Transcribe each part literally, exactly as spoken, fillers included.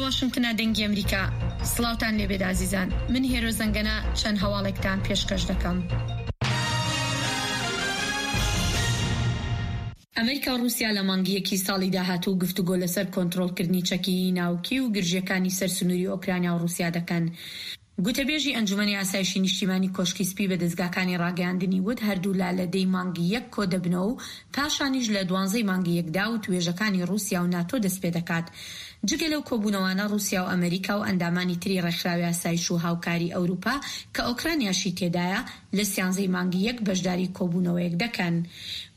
واشنگتنە دەنگی ئەمریکا. سڵاوتان لێبێت ئازیزان. من هێرۆ زەنگەنە چەند هەواڵێکتان پێشکەش دەکەم. ئەمریکا و ڕووسیا لە مانگی یەکی ساڵی داهاتوو گفتوگۆ لەسەر کۆنترۆڵکردنی چەکی ناوکی و گرژییەکانی سەر سنووری ئۆکرانیا و ڕووسیا دەکەن. گوتەبێژی ئەنجومەنی ئاسایشی نیشتیمانی کۆشکی سپی بە دەزگاکانی ڕاگەیاندنی وت هەردوولا لە دەی مانگی یەک کۆدەبنەوە و پاشانیش لە دوانزەی مانگی یەکدا وتوێژەکانی ڕووسیا و ناتۆ دەستپێدەکات. جگە لەو کۆبوونەوانە ڕووسیا و ئەمەریکا و ئەندامانی تری ڕێکخراوی ئاسایش و هاوکاری ئەوروپا کە ئۆکرانیاشی تێدایە لە سیانزەی مانگی یەک بەشداری کۆبوونەوەیەک دەکەن.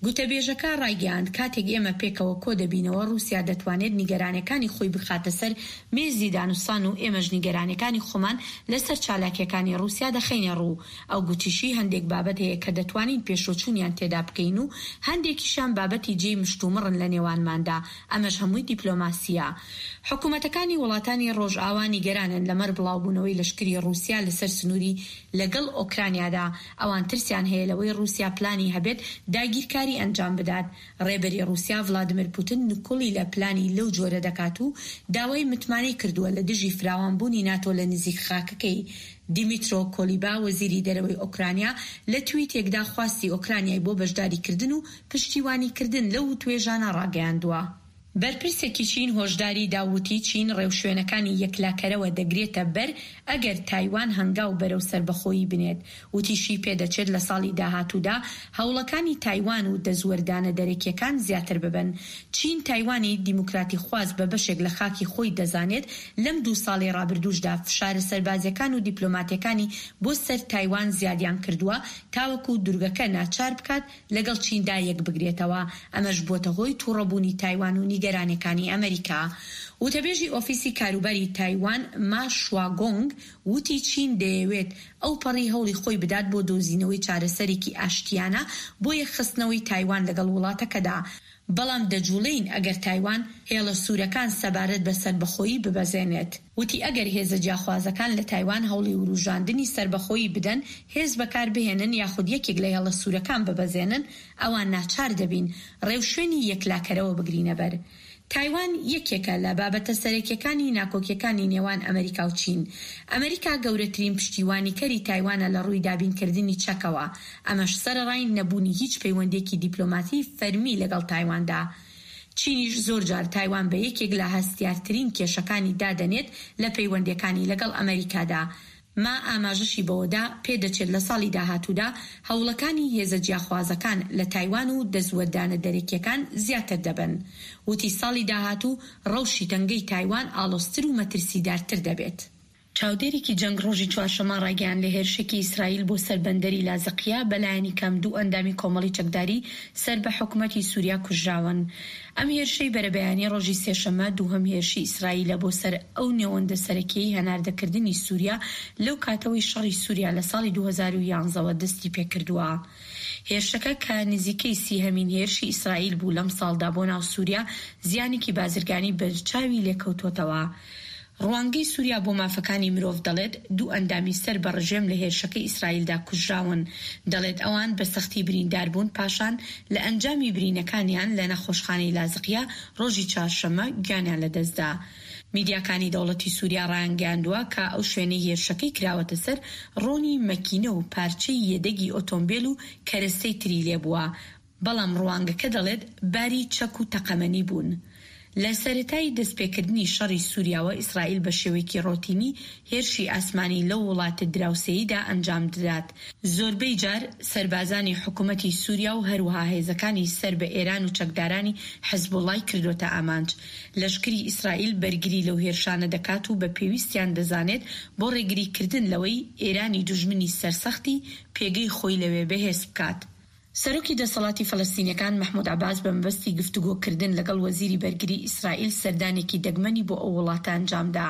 گوتەبێژەکە ڕایگەیاند کاتێک ئێمە پێکەوە کۆدەبینەوە ڕووسیا دەتوانێت نیگەرانیەکانی خۆی بخاتە سەر مێزی دانوستان و ئێمەش نیگەرانیەکانی خۆمان لەسەر چالاکیەکانی ڕووسیا دەخەینە ڕوو. ئەو گوتیشی هەندێک بابەت هەیە کە دەتوانین پێشوەچوونیان تێدا بکەین و هەندێکیشیان بابەتی جێی مشتومڕن لە نێوانماندا، ئەمەش هەمووی دیپلۆماسییە. حکومەتەکانی وڵاتانی ڕۆژئاوا نیگەرانن لەمەر بڵاوبوونەوەی لەشکری ڕووسیا لەسەر سنووری لەگەڵ ئۆکرانیادا، ئەوان ترسیان هەیە لەوەی ڕووسیا پلانی هەبێت داگیرکاری ئەنجام بدات. ڕێبەری ڕووسیا ڤلادیمیر پوتن نکوڵی لە پلانی لەو جۆرە دەکات و داوای متمانەی کردووە لە دژی فراوانبوونی ناتۆ لە نزیک خاکەکەی. دیمیترۆ کۆلیبا وەزیری دەرەوەی ئۆکرانیا لە تویتێکدا خواستی ئۆکرانیای بۆ بەشداریکردن و پشتیوانیکردن لەو وتوێژانە ڕاگەیاندووە. بەرپرسێکی چین هۆشداری دا و وتی، چین ڕێوشوێنەکانی یەکلاکەرەوە دەگرێتە بەر ئەگەر تایوان هەنگاو بەرەو سەربەخۆیی بنێت. وتیشی، پێدەچێت لە ساڵی داهاتوودا هەوڵەکانی تایوان و دەستوەردانە دەرەکییەکان زیاتر ببن. چین تایوانی دیموکراتیخواز بە بەشێک لە خاکی خۆی دەزانێت، لەم دوو ساڵەی ڕابردووشدا فشارە سەربازییەکان و دیپلۆماتییەکانی بۆ سەر تایوان زیادیان کردووە تاوەکو دورگەکە ناچار بکات لەگەڵ چیندا یەکبگرێتەوە، ئەمەش بووەتە هۆی توڕەبوونی تایوان و نیگەرانیەکانی ئەمریکا. وتەبێژی ئۆفیسی کاروباری تایوان ما شواگۆنگ وتی چین دەیەوێت ئەوپەڕی هەوڵی خۆی بدات بۆ دۆزینەوەی چارەسەرێکی ئاشتیانە بۆ یەکخستنەوەی تایوان لەگەڵ وڵاتەکەدا، بەڵام دەجوڵێین ئەگەر تایوان هێڵە سوورەکان سەبارەت بە سەربەخۆیی ببەزێنێت. وتی ئەگەر هێزە جیاخوازەکان لە تایوان هەوڵی وروژاندنی سەربەخۆیی بدەن، هێز بەکاربهێنن یاخود یەکێک لە هێڵە سوورەکان ببەزێنن، ئەوا ناچار دەبین ڕێوشوێنی یەکلاکەرەوە بگرینەبەر. تایوان یەکێکە لە بابەتە سەرەکییەکانی ناکۆکییەکانی نێوان ئەمریکا و چین. ئەمریکا گەورەترین پشتیوانیکەری تایوانە لە ڕووی دابینکردنی چەکەوە، ئەمەش سەرەڕای نەبوونی هیچ پەیوەندییەکی دیپلۆماتی فەرمی لەگەڵ تایواندا. چینیش زۆرجار تایوان بە یەکێک لە هەستیارترین کێشەکانی دادەنێت لە پەیوەندییەکانی لەگەڵ ئەمریکادا. ما ئاماژەشی بەوەدا، پێدەچێت لە ساڵی داهاتوودا هەوڵەکانی هێزە جیاخوازەکان لە تایوان و دەستوەردانە دەرەکییەکان زیاتر دەبن. وتی ساڵی داهاتوو ڕەوشی تەنگەی تایوان ئاڵۆزتر و مەترسیدارتر دەبێت. چاودێرێکی جەنگ ڕۆژی چوارشەممە ڕایگەیاند لە هێرشێکی ئیسرائیل بۆ سەر بەندەری لازقیە بەلایەنی کەم دوو ئەندامی کۆمەڵی چەکداری سەر بە حکومەتی سوریا کوژراون. ئەم هێرشەی بەرەبەیانی ڕۆژی سێشەممە دووهەم هێرشی ئیسرائیلە بۆ سەر ئەو نێوەندە سەرەکیەی هەناردەکردنی سوریا لەو کاتەوەی شەڕی سوریا لە ساڵی دوو هەزار و یازدە وە دەستی پێکردووە. هێرشەکە کە نزیکەی سیهەمین هێرشی ئیسرائیل بوو لەم ساڵدا بۆ ناو سوریا زیانێکی بازرگانی بەرچاوی لێکەوتۆتەوە. ڕوانگەی سوریا بۆ مافەکانی مرۆڤ دەڵێت دوو ئەندامی سەر بە ڕژێم لە هێرشەکەی ئیسرائیلدا کوژراون. دەڵێت ئەوان بە سەختی بریندار بوون پاشان لە ئەنجامی برینەکانیان لە نەخۆشخانەی لازقیە ڕۆژی چوارشەممە گیانیان لەدەستدا. میدیاکانی دەوڵەتی سوریا ڕایانگەیاندووە کە ئەو شوێنەی هێرشەکەی کراوەتە سەر ڕۆنی مەکینە و پارچەی یەدەگی ئۆتۆمبێل و کەرەستەی تری لێبووە، بەڵام ڕوانگەکە دەڵێت باری چەک و تەقەمەنی بوون. لە سەرەتای دەستپێکردنی شەڕی سوریاوە ئیسرائیل بە شێوەیەکی ڕۆتینی هێرشی ئاسمانی لەو وڵاتە دراوسێیدا ئەنجامددات، زۆربەی جار سەربازانی حکومەتی سوریا و هەروەها هێزەکانی سەر بە ئێران و چەکدارانی حزبوڵای کردۆتە ئامانج. لەشکری ئیسرائیل بەرگری لەو هێرشانە دەکات و بە پێویستیان دەزانێت بۆ ڕێگریکردن لەوەی ئێرانی دوژمنی سەرسەختی پێگەی خۆی لەوێ بەهێز بکات. سەرۆکی دەسەڵاتی فەلەستینیەکان مەحمود عەباس بە مەبەستی گفتوگۆکردن لەگەڵ وەزیری بەرگری ئیسرائیل سەردانێکی دەگمەنی بۆ ئەو وڵاتە ئەنجامدا.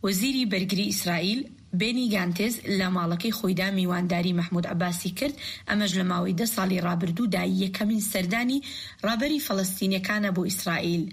وەزیری بەرگری ئیسرائیل، بێنی گانتز لە ماڵەکەی خۆیدا میوانداری مەحمود عەباسی کرد، ئەمەش لە ماوەی دە ساڵی ڕابردوودا یەکەمین سەردانی ڕابەری فەلەستینیەکانە بۆ ئیسرائیل.